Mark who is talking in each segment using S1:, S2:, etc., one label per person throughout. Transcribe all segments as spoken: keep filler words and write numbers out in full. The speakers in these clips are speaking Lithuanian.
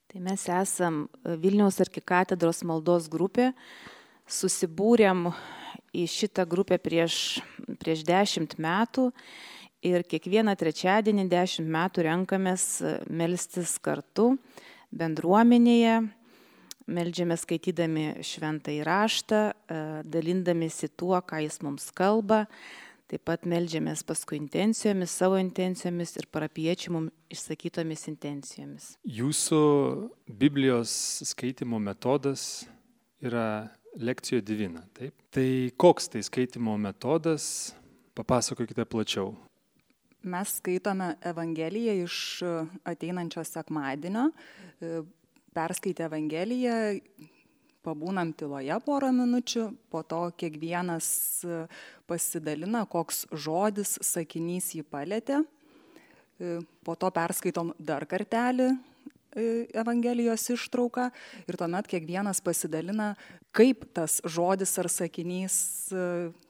S1: Tai mes esam Vilniaus arkikatedros maldos grupė, susibūrėm į šitą grupę prieš, prieš dešimt metų ir kiekvieną trečiadienį dešimt metų renkamės melstis kartu bendruomenėje, meldžiamės skaitydami šventąjį raštą, dalindamėsi tuo, ką jis mums kalba. Taip pat meldžiamės paskui intencijomis, savo intencijomis ir parapiečių mums išsakytomis intencijomis.
S2: Jūsų Biblijos skaitimo metodas yra lekcijo divina, taip? Tai koks tai skaitimo metodas? Papasakokite plačiau.
S3: Mes skaitome Evangeliją iš ateinančio sekmadienio. Perskaitę Evangeliją, pabūnam tyloje porą minučių, po to kiekvienas pasidalina, koks žodis, sakinys jį palietė. Po to perskaitom dar kartelį Evangelijos ištrauką ir tuomet kiekvienas pasidalina, kaip tas žodis ar sakinys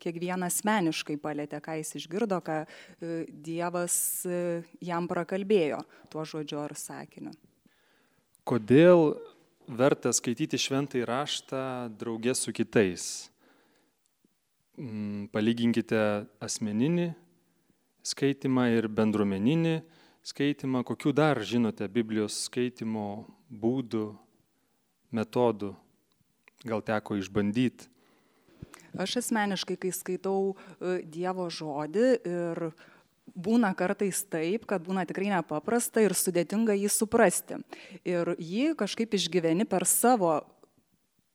S3: kiekvienas asmeniškai palietė, ką jis išgirdo, ką Dievas jam prakalbėjo tuo žodžiu ar sakiniu.
S2: Kodėl verta skaityti šventąjį raštą draugė su kitais? Palyginkite asmeninį skaitimą ir bendruomeninį skaitimą. Kokių dar žinote Biblijos skaitimo būdų, metodų? Gal teko išbandyti?
S3: Aš asmeniškai, kai skaitau Dievo žodį ir būna kartais taip, kad būna tikrai nepaprasta ir sudėtinga jį suprasti. Ir jį kažkaip išgyveni per savo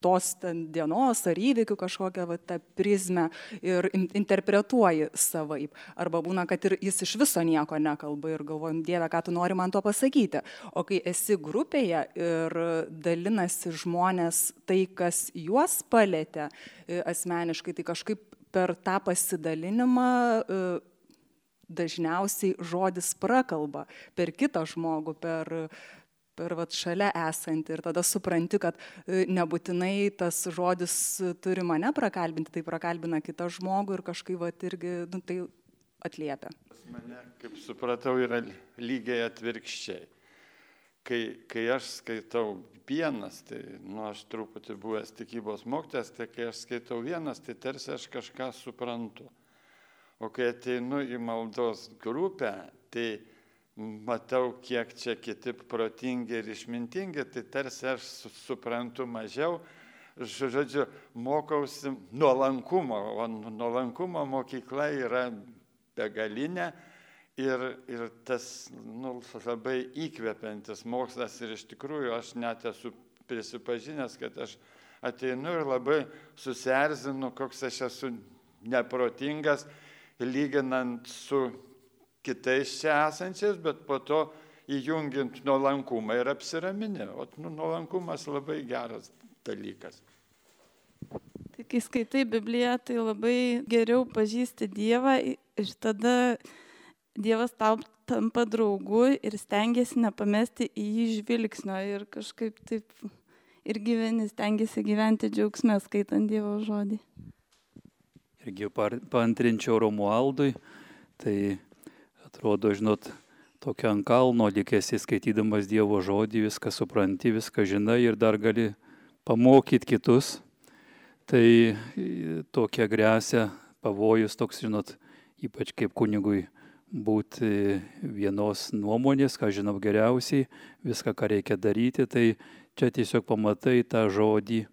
S3: tos dienos ar įvykių kažkokią va, tą prizmę ir interpretuoji savaip. Arba būna, kad ir jis iš viso nieko nekalba ir galvojam, Dieve, ką tu nori man to pasakyti. O kai esi grupėje ir dalinasi žmonės tai, kas juos palietė asmeniškai, tai kažkaip per tą pasidalinimą dažniausiai žodis prakalba per kitą žmogų, per, per vat, šalia esantį. Ir tada supranti, kad nebūtinai tas žodis turi mane prakalbinti, tai prakalbina kitą žmogų ir kažkaip vat, irgi nu, tai atliepia.
S4: Mane, kaip supratau, yra lygiai atvirkščiai. Kai, kai aš skaitau vienas, tai nu, aš truputį buvęs tikybos mokytojas, tai kai aš skaitau vienas, tai tarsi aš kažką suprantu. O kai ateinu į maldos grupę, tai matau, kiek čia kiti protingi ir išmintingi, tai tarsi aš suprantu mažiau. Žodžiu, mokausi nuolankumo, o nuolankumo mokykla yra begalinė ir, ir tas nu, labai įkvepiantis mokslas. Ir iš tikrųjų aš net esu prisipažinęs, kad aš ateinu ir labai susierzinu, koks aš esu neprotingas, lyginant su kitais čia esančiais, bet po to įjungiant nuolankumą ir apsiraminę. O nu, nuolankumas labai geras dalykas.
S5: Tai kai skaitai Bibliją, tai labai geriau pažįsti Dievą ir tada Dievas tau tampa draugu ir stengiasi nepamesti į jį žvilgsnio ir kažkaip taip ir gyveni, stengiasi gyventi džiaugsme skaitant Dievo žodį.
S6: Irgi paantrinčiau Romualdui, tai atrodo, žinot, tokia ant kalno likėsi skaitydamas Dievo žodį, viską supranti, viską žinai ir dar gali pamokyti kitus. Tai tokia grėsia pavojus toks, žinot, ypač kaip kunigui būti vienos nuomonės, ką žinau geriausiai, viską, ką reikia daryti, tai čia tiesiog pamatai tą žodį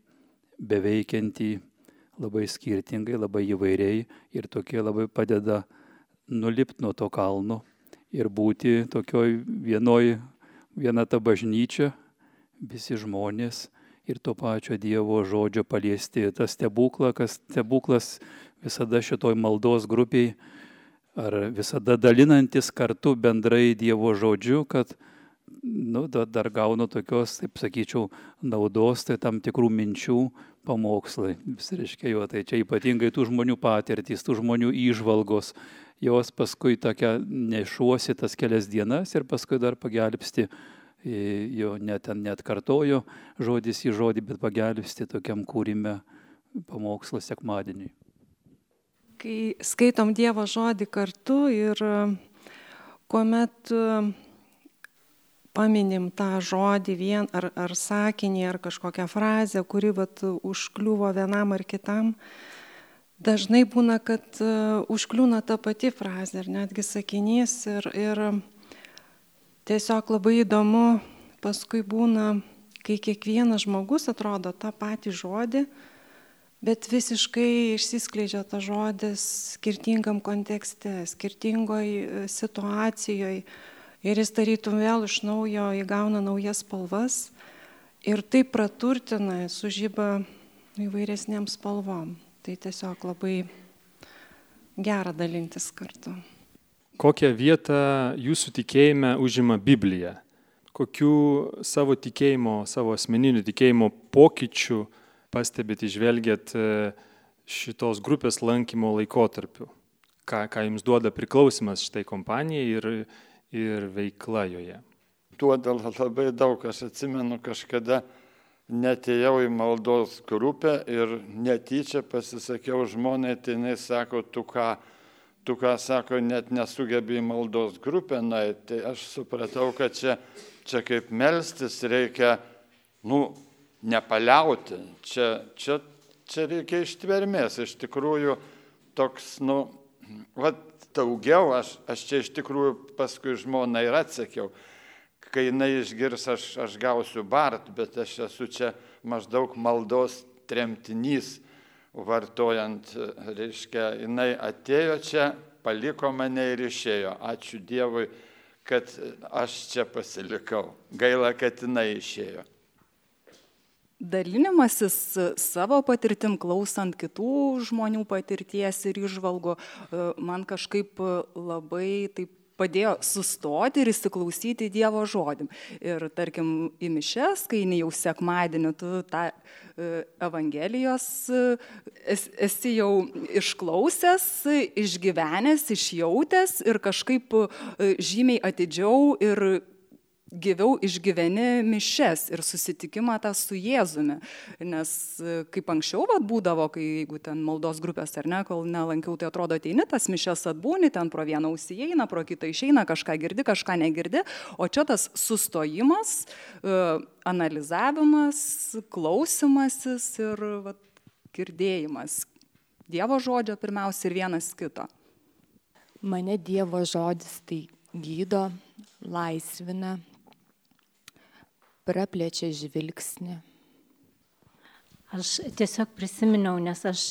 S6: beveikiantį labai skirtingai, labai įvairiai ir tokie labai padeda nulipti nuo to kalno ir būti tokioj vienoj, viena ta bažnyčia, visi žmonės ir to pačio Dievo žodžio paliesti. Tas stebuklą, kas stebuklas visada šitoj maldos grupiai ar visada dalinantis kartu bendrai Dievo žodžiu, kad nu, dar gaunu tokios, taip sakyčiau, naudos, tai tam tikrų minčių pamokslai. Vis reiškia jo, tai čia ypatingai tų žmonių patirtys, tų žmonių įžvalgos, jos paskui tokia nešuosi tas kelias dienas ir paskui dar pagelbsti, jo net, net kartojo žodis į žodį, bet pagelbsti tokiam kūrime pamokslo sekmadieniui.
S7: Kai skaitom Dievo žodį kartu ir kuomet paminim tą žodį vien ar, ar sakinį, ar kažkokią frazę, kuri vat, užkliuvo vienam ar kitam, dažnai būna, kad uh, užkliūna ta pati frazė ar netgi sakinys ir, ir tiesiog labai įdomu paskui būna, kai kiekvienas žmogus atrodo tą patį žodį, bet visiškai išsiskleidžia tas žodis skirtingam kontekste, skirtingoj situacijoje ir jis tarytum vėl iš naujo įgauna naujas spalvas ir taip praturtina, sužyba įvairesniam spalvom. Tai tiesiog labai gera dalintis kartu.
S2: Kokią vietą jūsų tikėjime užima Biblija? Kokių savo tikėjimo, savo asmeninių tikėjimo pokyčių pastebėt, išvelgiat šitos grupės lankymo laikotarpiu? Ką, ką jums duoda priklausimas šitai kompanijai ir, ir veikla joje?
S4: Duoda labai daug. Aš atsimenu, kažkada netėjau į maldos grupę ir netyčia pasisakiau žmonai, tai jinai sako, tu ką, tu ką, sako, net nesugebi į maldos grupę nueiti. Tai aš supratau, kad čia, čia kaip melstis reikia, nu, nepaliauti. Čia, čia, čia reikia ištvermės. Iš tikrųjų, toks, nu, va, daugiau, aš, aš čia iš tikrųjų paskui žmoną ir atsakiau. Kai jinai išgirs, aš, aš gausiu bart, bet aš esu čia maždaug maldos tremtinys, vartojant, reiškia, jinai atėjo čia, paliko mane ir išėjo. Ačiū Dievui, kad aš čia pasilikau. Gaila, kad jinai išėjo.
S3: Dalinimasis savo patirtim, klausant kitų žmonių patirties ir įžvalgų, man kažkaip labai taip padėjo sustoti ir įsiklausyti Dievo žodį. Ir tarkim, į mišes, kai ne jau sekmadienį tu tą Evangelijos esi jau išklausęs, išgyvenęs, išjautęs ir kažkaip žymiai atidžiau ir gyviau išgyveni mišes ir susitikimą tą su Jėzumi. Nes kaip anksčiau vat, būdavo, kai jeigu ten maldos grupės ar ne, kol nelankiau, tai atrodo ateini, tas mišes atbūni, ten pro vieną ausį įeina, pro kitą išeina, kažką girdi, kažką negirdi. O čia tas sustojimas, analizavimas, klausimasis ir vat, girdėjimas. Dievo žodžio pirmiausia ir vienas kito.
S8: Mane Dievo žodis tai gydo, laisvina, praplečia žvilgsnį.
S9: Aš tiesiog prisiminiau, nes aš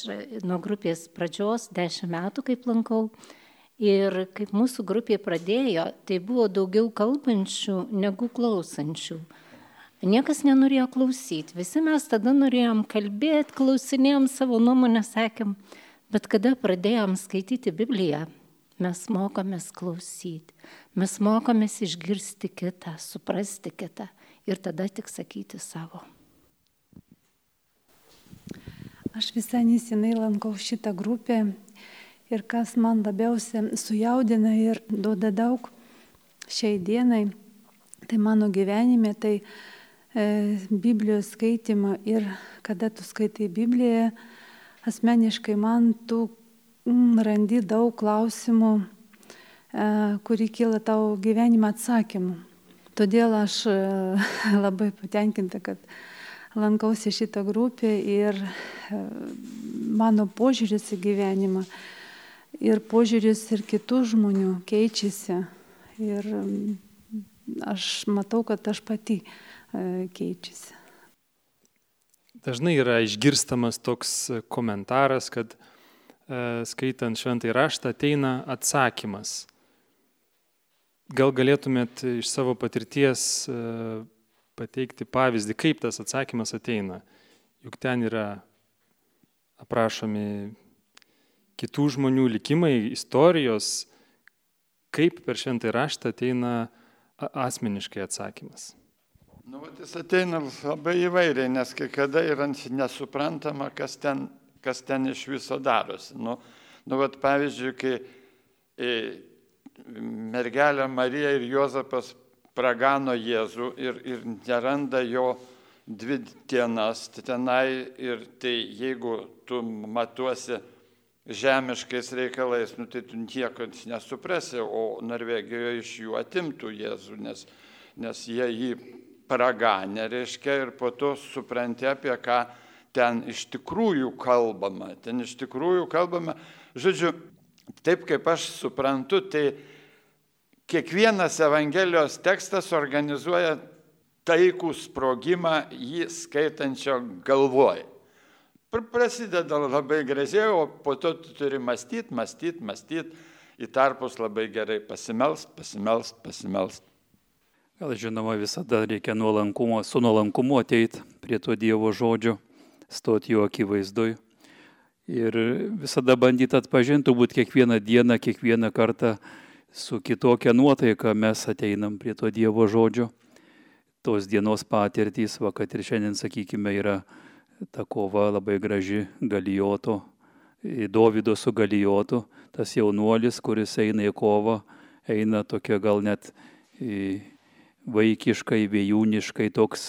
S9: nuo grupės pradžios dešimt metų kaip lankau ir kaip mūsų grupė pradėjo, tai buvo daugiau kalbančių negu klausančių. Niekas nenorėjo klausyti, visi mes tada norėjom kalbėti, klausinėjom savo nuomonę, sakėm, bet kada pradėjom skaityti Bibliją, mes mokomės klausyti, mes mokomės išgirsti kitą, suprasti kitą ir tada tik sakyti savo.
S10: Aš visai nesenai lankau šitą grupę ir kas man labiausiai sujaudina ir duoda daug šiai dienai, tai mano gyvenime, tai e, Biblijos skaitymą ir kada tu skaitai Bibliją, asmeniškai man tu mm, randi daug klausimų, e, kuri kyla tau gyvenime atsakymų. Todėl aš e, labai patenkinta, kad lankausi šitą grupę ir mano požiūris į gyvenimą ir požiūris ir kitų žmonių keičiasi. Ir aš matau, kad aš pati keičiasi.
S2: Dažnai yra išgirstamas toks komentaras, kad skaitant šventąjį raštą ateina atsakymas. Gal galėtumėt iš savo patirties pateikti pavyzdį, kaip tas atsakymas ateina. Juk ten yra aprašomi kitų žmonių likimai, istorijos, kaip per šventąjį raštą ateina asmeniškai atsakymas.
S4: Nu, jis ateina labai įvairiai, nes kai kada yra nesuprantama, kas ten, kas ten iš viso darosi. Nu, nu vat, pavyzdžiui, kai e, mergelė Marija ir Juozapas pragano Jėzų ir, ir neranda jo dvi dienas tenai ir tai jeigu tu matuosi žemiškais reikalais, nu, tai tu nieko nesuprasi, o Norvegijoje iš jų atimtų Jėzų, nes, nes jie jį praganė, reiškia, ir po to supranti, apie ką ten iš tikrųjų kalbama. Ten iš tikrųjų kalbama, žodžiu, taip kaip aš suprantu, tai kiekvienas Evangelijos tekstas organizuoja taikų sprogimą jį skaitančio galvoj. Prasideda labai gražiai, o po to tu turi mąstyti, mąstyti, mąstyti, į tarpus labai gerai pasimelst, pasimelst, pasimelst.
S6: Gal žinoma, visada reikia nuolankumo, su nuolankumu ateiti prie to Dievo žodžio, stoti jo akivaizdoj ir visada bandyti atpažinti, turbūt kiekvieną dieną, kiekvieną kartą su kitokia nuotaika mes ateinam prie to Dievo žodžio. Tos dienos patirtys, va, kad ir šiandien, sakykime, yra ta kova labai graži Galijoto, Dovydo su Galijotu, tas jaunuolis, kuris eina į kovą, eina tokia gal net vaikiškai, vėjūniškai, toks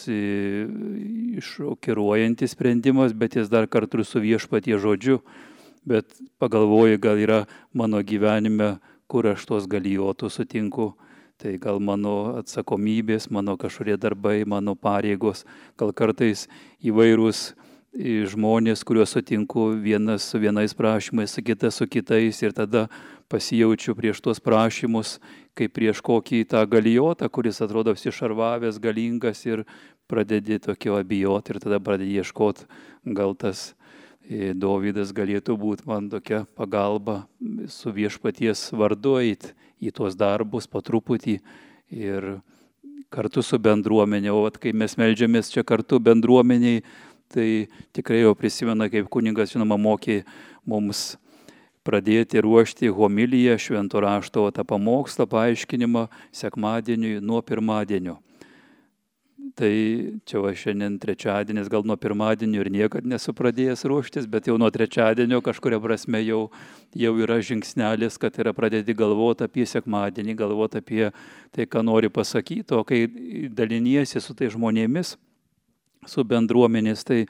S6: šokiruojantis sprendimas, bet jis dar kartu su Viešpatie žodžiu, bet pagalvoju, gal yra mano gyvenime, kur aš tos Galijotų sutinku, tai gal mano atsakomybės, mano kažkurie darbai, mano pareigos, gal kartais įvairūs žmonės, kuriuos sutinku, vienas su vienais prašymais, kitas su kitais, ir tada pasijaučiu prieš tuos prašymus, kaip prieš kokį tą Galijotą, kuris atrodo apsišarvavęs, galingas, ir pradedi tokio abijoti, ir tada pradedi ieškoti, gal tas Dovydas galėtų būti man tokia pagalba su Viešpaties vardu eiti į tuos darbus po truputį ir kartu su bendruomenė. O kai mes meldžiamės čia kartu bendruomeniai, tai tikrai jau prisimena, kaip kunigas, žinoma, mokė mums pradėti ruošti homiliją, švento rašto tą pamokslą, paaiškinimą sekmadieniui nuo pirmadienio. Tai čia va šiandien trečiadienis, gal nuo pirmadienio ir niekad nesu pradėjęs ruoštis, bet jau nuo trečiadienio kažkuria prasme jau, jau yra žingsnelis, kad yra pradėti galvoti apie sekmadienį, galvoti apie tai, ką nori pasakyti, o kai daliniesi su tai žmonėmis, su bendruomenės, tai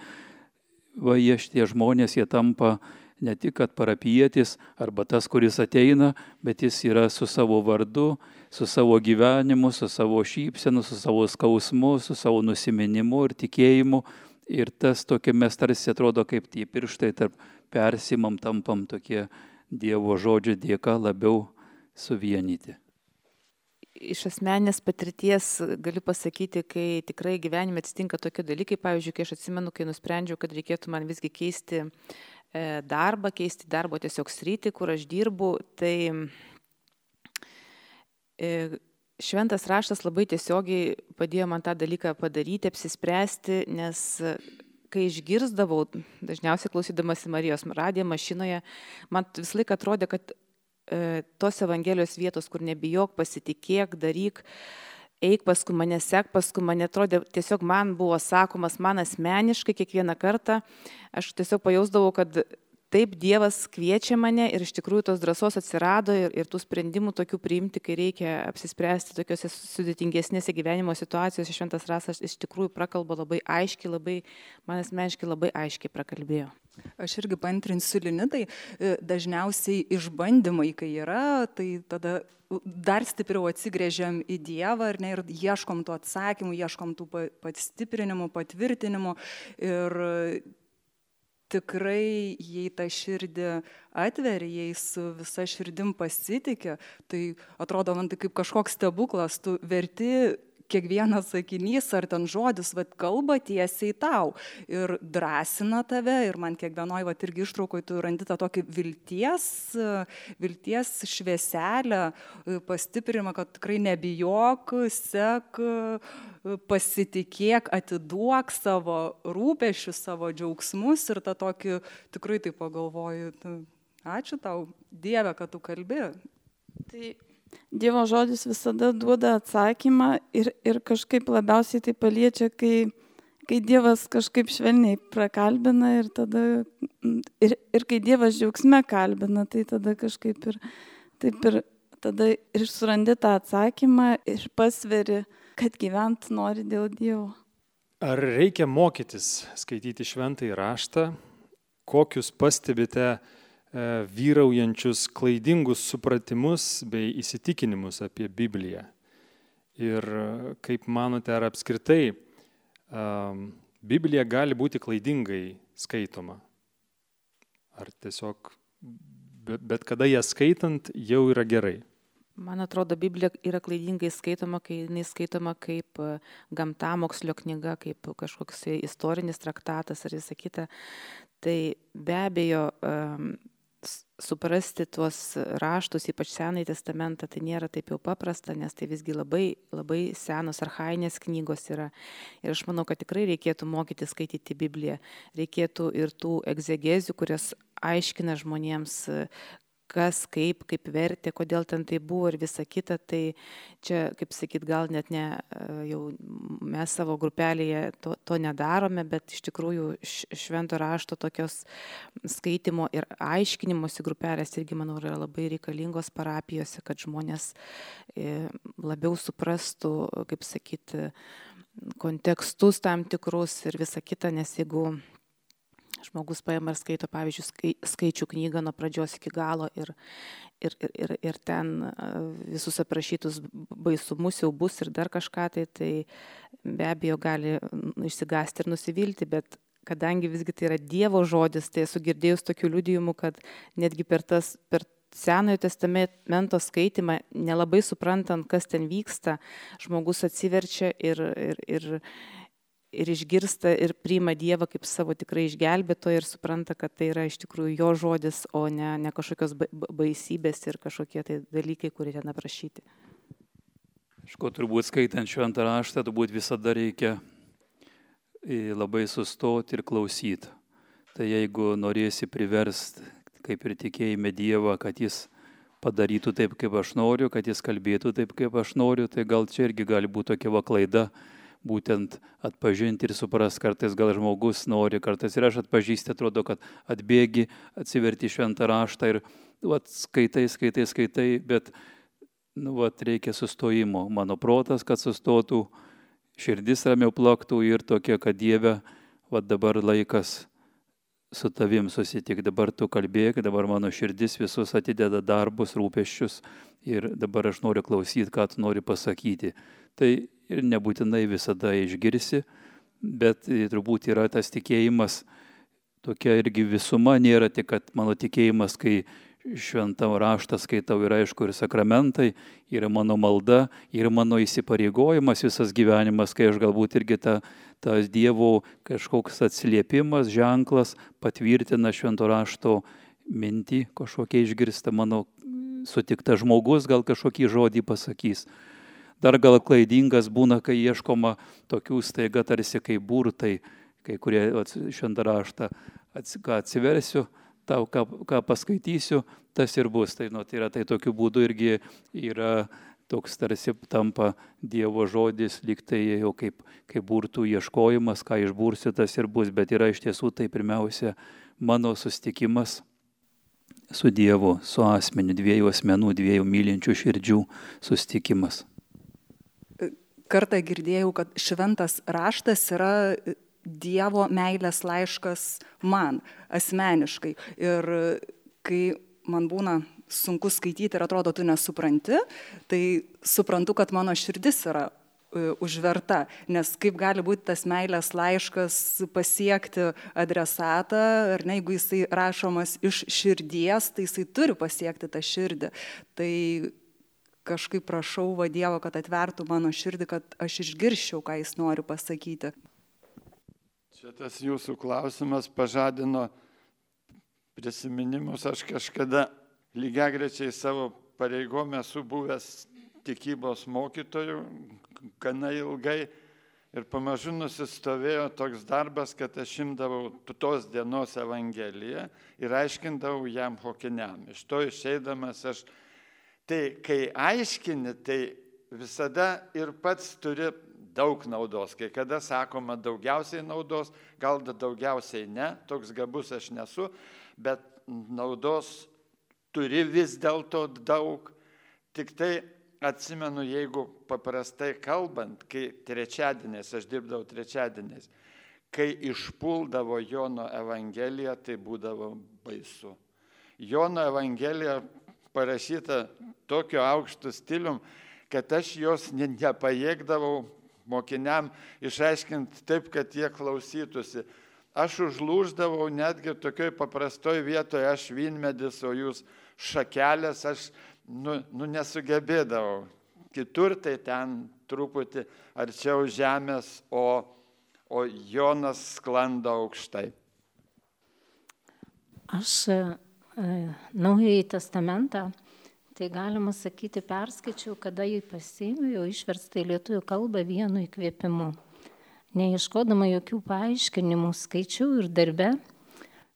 S6: va jie šitie žmonės, jie tampa ne tik, kad parapietis arba tas, kuris ateina, bet jis yra su savo vardu, su savo gyvenimu, su savo šypsenu, su savo skausmu, su savo nusiminimu ir tikėjimu. Ir tas tokia mes tarsi atrodo kaip tie pirštai tarp persimam, tampam tokie Dievo žodžio dėka labiau suvienyti.
S1: Iš asmeninės patirties galiu pasakyti, kai tikrai gyvenime atsitinka tokie dalykai, pavyzdžiui, kai aš atsimenu, kai nusprendžiau, kad reikėtų man visgi keisti darbą, keisti darbo tiesiog sritį, kur aš dirbu, tai šventas raštas labai tiesiogiai padėjo man tą dalyką padaryti, apsispręsti, nes kai išgirsdavau, dažniausiai klausydamasi Marijos radiją mašinoje, man visą laiką atrodė, kad e, tos Evangelijos vietos, kur nebijok, pasitikėk, daryk, eik paskui mane, sek paskui mane, atrodė, tiesiog man buvo sakomas, man asmeniškai kiekvieną kartą, aš tiesiog pajausdavau, kad taip Dievas kviečia mane ir iš tikrųjų tos drąsos atsirado ir, ir tų sprendimų tokių priimti, kai reikia apsispręsti tokiuose sudėtingesnėse gyvenimo situacijose. Šventas raštas iš tikrųjų prakalba labai aiškiai, labai, man asmeniškai labai aiškiai prakalbėjo.
S3: Aš irgi paantrinsiu Linitai, dažniausiai išbandymai, kai yra, tai tada dar stipriau atsigrėžiam į Dievą ar ne, ir ieškom tų atsakymų, ieškom tų pastiprinimų, patvirtinimų ir tikrai, jei tą širdį atveri, jei su visa širdim pasitikė, tai atrodo man tai kaip kažkoks stebuklas, tu verti kiekvienas sakinys ar ten žodis, vat, kalba tiesiai tau ir drąsina tave ir man kiekvienoj vat, irgi ištraukoj tu randi tą tokį vilties, vilties švieselę, pastiprinimą, kad tikrai nebijok, sek, pasitikėk, atiduok savo rūpesčius, savo džiaugsmus ir tą tokį tikrai tai pagalvoju, ačiū tau Dieve, kad tu kalbi.
S5: Tai Dievo žodis visada duoda atsakymą ir, ir kažkaip labiausiai tai paliečia, kai, kai Dievas kažkaip švelniai prakalbina ir tada, ir, ir kai Dievas džiaugsme kalbina, tai tada kažkaip ir, taip ir, tada ir surandi tą atsakymą ir pasveri, kad gyvent nori dėl Dievo.
S2: Ar reikia mokytis skaityti šventąjį raštą? Kokius pastebite vyraujančius klaidingus supratimus bei įsitikinimus apie Bibliją? Ir kaip manote, ar apskritai um, Biblija gali būti klaidingai skaitoma? Ar tiesiog bet kada ją skaitant jau yra gerai?
S1: Man atrodo, Biblija yra klaidingai skaitoma, kai jinai skaitoma kaip gamtamokslio knyga, kaip kažkoks istorinis traktatas ar visą kitą. Tai be abejo, um, suprasti tuos raštus, ypač Senąjį testamentą, tai nėra taip jau paprasta, nes tai visgi labai, labai senos archainės knygos yra. Ir aš manau, kad tikrai reikėtų mokyti skaityti Bibliją. Reikėtų ir tų egzegezių, kurias aiškina žmonėms, kas, kaip, kaip vertė, kodėl ten tai buvo ir visa kita. Tai čia, kaip sakyt, gal net ne, jau mes savo grupelėje to, to nedarome, bet iš tikrųjų švento rašto tokios skaitimo ir aiškinimosi grupelės irgi, manau, yra labai reikalingos parapijose, kad žmonės labiau suprastų, kaip sakyt, kontekstus tam tikrus ir visa kita, nes jeigu žmogus paima ir skaito, pavyzdžiui, skaičių knygą nuo pradžios iki galo ir, ir, ir, ir ten visus aprašytus baisumus jau bus ir dar kažką, tai, tai be abejo gali išsigąsti ir nusivilti, bet kadangi visgi tai yra Dievo žodis, tai esu girdėjus tokių liudijimų, kad netgi per, tas, per Senojo testamento skaitimą, nelabai suprantant, kas ten vyksta, žmogus atsiverčia ir, ir, ir ir išgirsta ir priima Dievą kaip savo tikrai išgelbėtoją ir supranta, kad tai yra iš tikrųjų jo žodis, o ne, ne kažkokios baisybės ir kažkokie tai dalykai, kurie ten aprašyti.
S6: Aišku, turbūt skaitant šventą raštą, turbūt visada reikia labai sustoti ir klausyti. Tai jeigu norėsi priversti, kaip ir tikėjime Dievą, kad jis padarytų taip, kaip aš noriu, kad jis kalbėtų taip, kaip aš noriu, tai gal čia irgi gali būti tokia va klaida, būtent atpažinti ir supras, kartais gal žmogus nori, kartais ir aš atpažįsti, atrodo, kad atbėgi, atsiverti šventą raštą ir vat, skaitai, skaitai, skaitai, bet nu, vat, reikia sustojimo. Mano protas, kad sustotų, širdis ramiau plaktų ir tokia, kad Dieve, vat, dabar laikas su tavim susitikti, dabar tu kalbėk, dabar mano širdis visus atideda darbus, rūpesčius ir dabar aš noriu klausyti, ką tu nori pasakyti. Tai ir nebūtinai visada išgirsi, bet turbūt yra tas tikėjimas, tokia irgi visuma, nėra tik, kad mano tikėjimas, kai šventą raštą skaitau, yra aišku ir sakramentai, yra mano malda, yra mano įsipareigojimas visas gyvenimas, kai aš galbūt irgi ta, tas Dievo kažkoks atsiliepimas, ženklas patvirtina švento rašto mintį, kažkokia išgirsta mano sutikta žmogus, gal kažkokį žodį pasakys. Dar gal klaidingas būna, kai ieškoma tokių staiga tarsi kaip burtai, kai kurie šventą raštą atsiversiu, tau ką, ką paskaitysiu, tas ir bus. Tai, nu, tai yra tai tokiu būdu irgi yra toks tarsi tampa Dievo žodis, lyg tai jau kaip, kaip burtų ieškojimas, ką išbursiu, tas ir bus. Bet yra iš tiesų tai pirmiausia mano susitikimas su Dievu, su asmeniu, dviejų asmenų, dviejų mylinčių širdžių susitikimas.
S3: Kartą girdėjau, kad šventas raštas yra Dievo meilės laiškas man asmeniškai. Ir kai man būna sunku skaityti ir atrodo, tu nesupranti, tai suprantu, kad mano širdis yra užverta. Nes kaip gali būti tas meilės laiškas pasiekti adresatą, ar ne, jeigu jisai rašomas iš širdies, tai jisai turi pasiekti tą širdį. Tai kažkaip prašau va Dievo, kad atvertų mano širdį, kad aš išgirščiau, ką jis nori pasakyti.
S4: Šitas jūsų klausimas pažadino prisiminimus. Aš kažkada lygiagrečiai savo pareigom esu buvęs tikybos mokytojų gana ilgai ir pamažu nusistovėjo toks darbas, kad aš imdavau tos dienos Evangeliją ir aiškindavau jam mokiniam. Iš to išeidamas aš tai kai aiškini, tai visada ir pats turi daug naudos. Kai kada sakoma daugiausiai naudos, gal daugiausiai ne, toks gabus aš nesu, bet naudos turi vis dėlto daug. Tik tai atsimenu, jeigu paprastai kalbant, kai trečiadieniais, aš dirbdavau trečiadieniais, kai išpuldavo Jono Evangelija, tai būdavo baisu. Jono Evangelija parašyta tokiu aukštu stilium, kad aš jos ne, nepajėgdavau mokiniam išaiškinti taip, kad jie klausytųsi. Aš užlūždavau netgi tokioj paprastoj vietoje, aš vynmedis, o jūs šakelės, aš nu, nu nesugebėdavau. Kitur tai ten truputį arčiau žemės, o, o Jonas sklando aukštai.
S9: Aš e, Naująjį testamentą, tai galima sakyti, perskaičiau, kada jį pasiėmiau, jau išversta į lietuvių kalbą vienu įkvėpimu. Neieškodama jokių paaiškinimų, skaičiau ir darbe,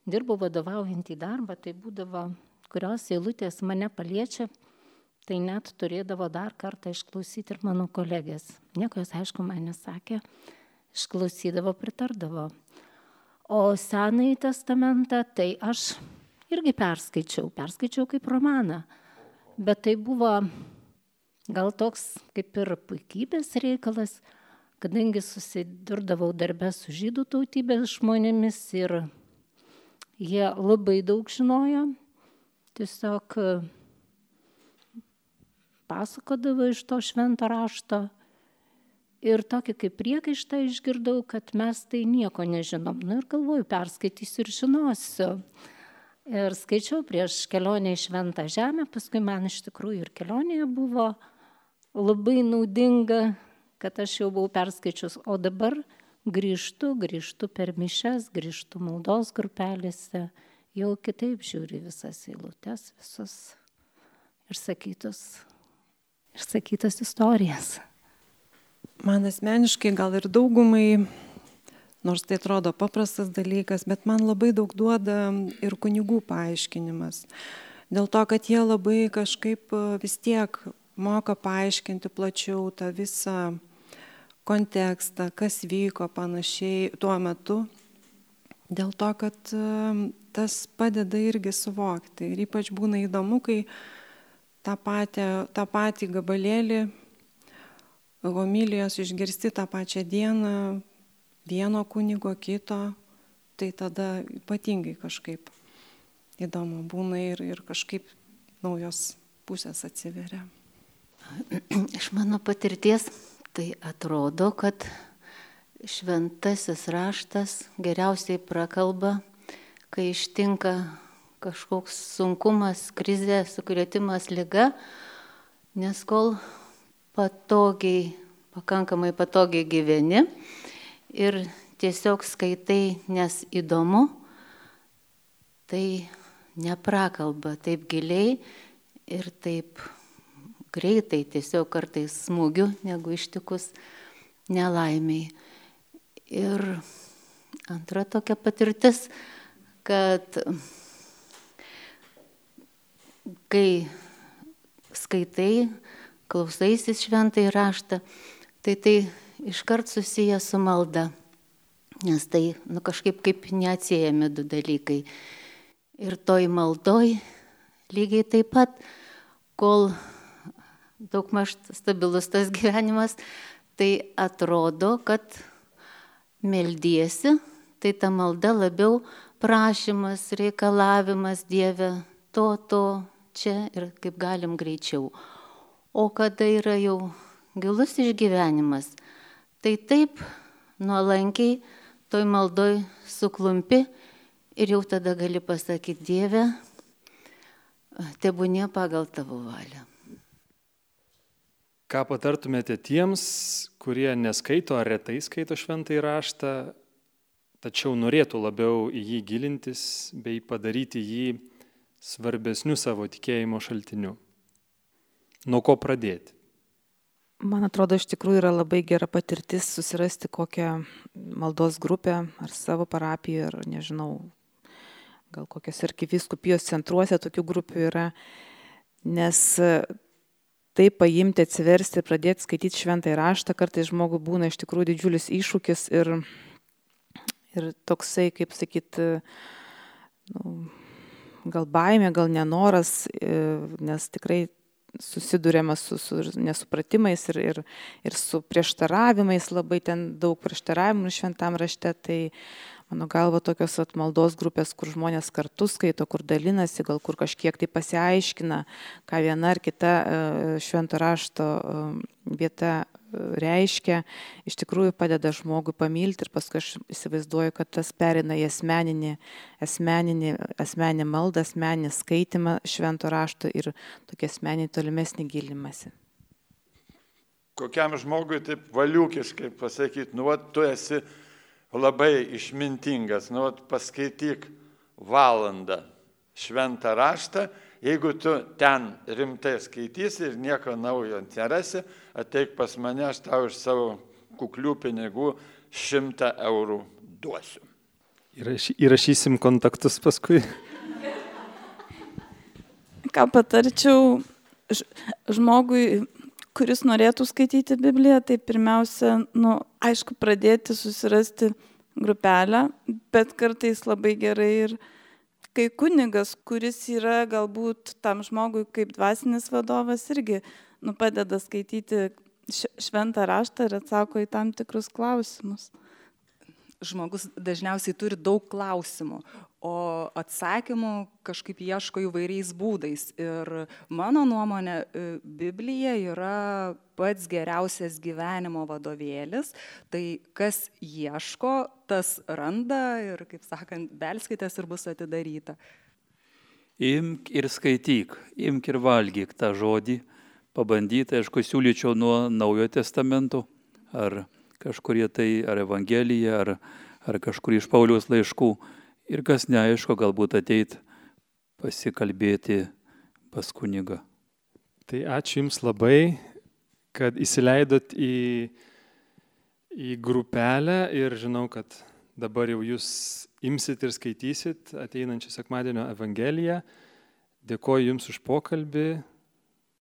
S9: dirbau vadovaujantį darbą, tai būdavo, kurios eilutės mane paliečia, tai net turėdavo dar kartą išklausyti ir mano kolegės. Nieko jos, aišku, man nesakė, išklausydavo, pritardavo. O Senąjį testamentą, tai aš irgi perskaičiau, perskaičiau kaip romaną, bet tai buvo gal toks kaip ir puikybės reikalas, kadangi susidurdavau darbe su žydų tautybės žmonėmis ir jie labai daug žinojo, tiesiog pasakodavo iš to švento rašto ir tokį kaip priekaištą išgirdau, kad mes tai nieko nežinom. Nu ir galvoju, perskaitysiu ir žinosiu. Ir skaičiau prieš kelionę į Šventą Žemę, paskui man iš tikrųjų ir kelionėje buvo labai naudinga, kad aš jau buvau perskaičius, o dabar grįžtu, grįžtu per mišias, grįžtu maldos grupelėse, jau kitaip žiūri visas eilutes, visus išsakytus, išsakytas istorijas.
S7: Man asmeniškai gal ir daugumai, nors tai atrodo paprastas dalykas, bet man labai daug duoda ir kunigų paaiškinimas. Dėl to, kad jie labai kažkaip vis tiek moka paaiškinti plačiau tą visą kontekstą, kas vyko panašiai tuo metu. Dėl to, kad tas padeda irgi suvokti. Ir ypač būna įdomu, kai tą patį, tą patį gabalėlį homilijos išgirsti tą pačią dieną, vieno kunigo, kito, tai tada ypatingai kažkaip įdomu būna ir, ir kažkaip naujos pusės atsiveria.
S11: Iš mano patirties tai atrodo, kad šventasis raštas geriausiai prakalba, kai ištinka kažkoks sunkumas, krizė, sukrėtimas, liga, nes kol patogiai, pakankamai patogiai gyveni ir tiesiog skaitai, nes įdomu, tai neprakalba taip giliai ir taip greitai, tiesiog kartais smūgiu, negu ištikus nelaimiai. Ir antra tokia patirtis, kad kai skaitai, klausaisis šventąjį raštą, tai tai iškart susiję su malda, nes tai nu, kažkaip kaip neatsiejami du dalykai. Ir toj maldoj lygiai taip pat, kol daugmaž stabilus tas gyvenimas, tai atrodo, kad meldiesi, tai ta malda labiau prašymas, reikalavimas Dieve to, to, čia ir kaip galim greičiau. O kada yra jau gilus išgyvenimas, tai taip nuolankiai toj maldoj suklumpi ir jau tada gali pasakyti, Dieve, tebūnie pagal tavo valią.
S2: Ką patartumėte tiems, kurie neskaito ar retai skaito šventąjį raštą, tačiau norėtų labiau į jį gilintis bei padaryti jį svarbesniu savo tikėjimo šaltiniu? Nuo ko pradėti?
S1: Man atrodo, iš tikrųjų yra labai gera patirtis susirasti kokią maldos grupę ar savo parapiją, ar nežinau, gal kokios arkivyskupijos centruose tokių grupių yra, nes tai paimti, atsiversti ir pradėti skaityti šventąjį raštą, kartais žmogui būna iš tikrųjų didžiulis iššūkis ir, ir toksai, kaip sakyti, nu, gal baimė, gal nenoras, nes tikrai susidurėma su, su nesupratimais ir, ir, ir su prieštaravimais, labai ten daug prieštaravimų šventam rašte, tai Mano galva, tokios atmaldos grupės, kur žmonės kartu skaito, kur dalinasi, gal kur kažkiek tai pasiaiškina, ką viena ar kita švento rašto vieta reiškia, iš tikrųjų padeda žmogui pamilti ir paskui aš įsivaizduoju, kad tas perina į asmeninį, asmeninį, asmeninį maldą, asmeninį skaitimą švento rašto ir tokį asmeninį tolimesnį gilimąsi.
S4: Kokiam žmogui taip valiukiškai pasakyti, nu, va, tu esi labai išmintingas, nu, paskaityk valandą šventą raštą, jeigu tu ten rimtai skaitysi ir nieko naujo nerasi, ateik pas mane, aš tau iš savo kuklių pinigų šimtą eurų duosiu.
S2: Įrašy, įrašysim kontaktus paskui.
S5: Ką patarčiau žmogui, kuris norėtų skaityti Bibliją, tai pirmiausia, nu, aišku, pradėti susirasti grupelę, bet kartais labai gerai ir kai kunigas, kuris yra galbūt tam žmogui kaip dvasinis vadovas, irgi nu, padeda skaityti šventą raštą ir atsako į tam tikrus klausimus.
S3: Žmogus dažniausiai turi daug klausimų, o atsakymų kažkaip ieško įvairiais būdais. Ir mano nuomonė, Biblija yra pats geriausias gyvenimo vadovėlis. Tai kas ieško, tas randa ir, kaip sakant, belskitės ir bus atidaryta.
S6: Imk ir skaityk, imk ir valgyk tą žodį. Pabandyti, aišku, siūlyčiau nuo Naujojo testamento, ar kažkurie tai, ar Evangelija, ar, ar kažkur iš Pauliaus laiškų. Ir kas neaišku, galbūt ateit pasikalbėti pas kunigą.
S2: Tai ačiū Jums labai, kad įsileidot į, į grupelę ir žinau, kad dabar jau Jūs imsit ir skaitysit ateinančią sekmadienio Evangeliją. Dėkoju Jums už pokalbį.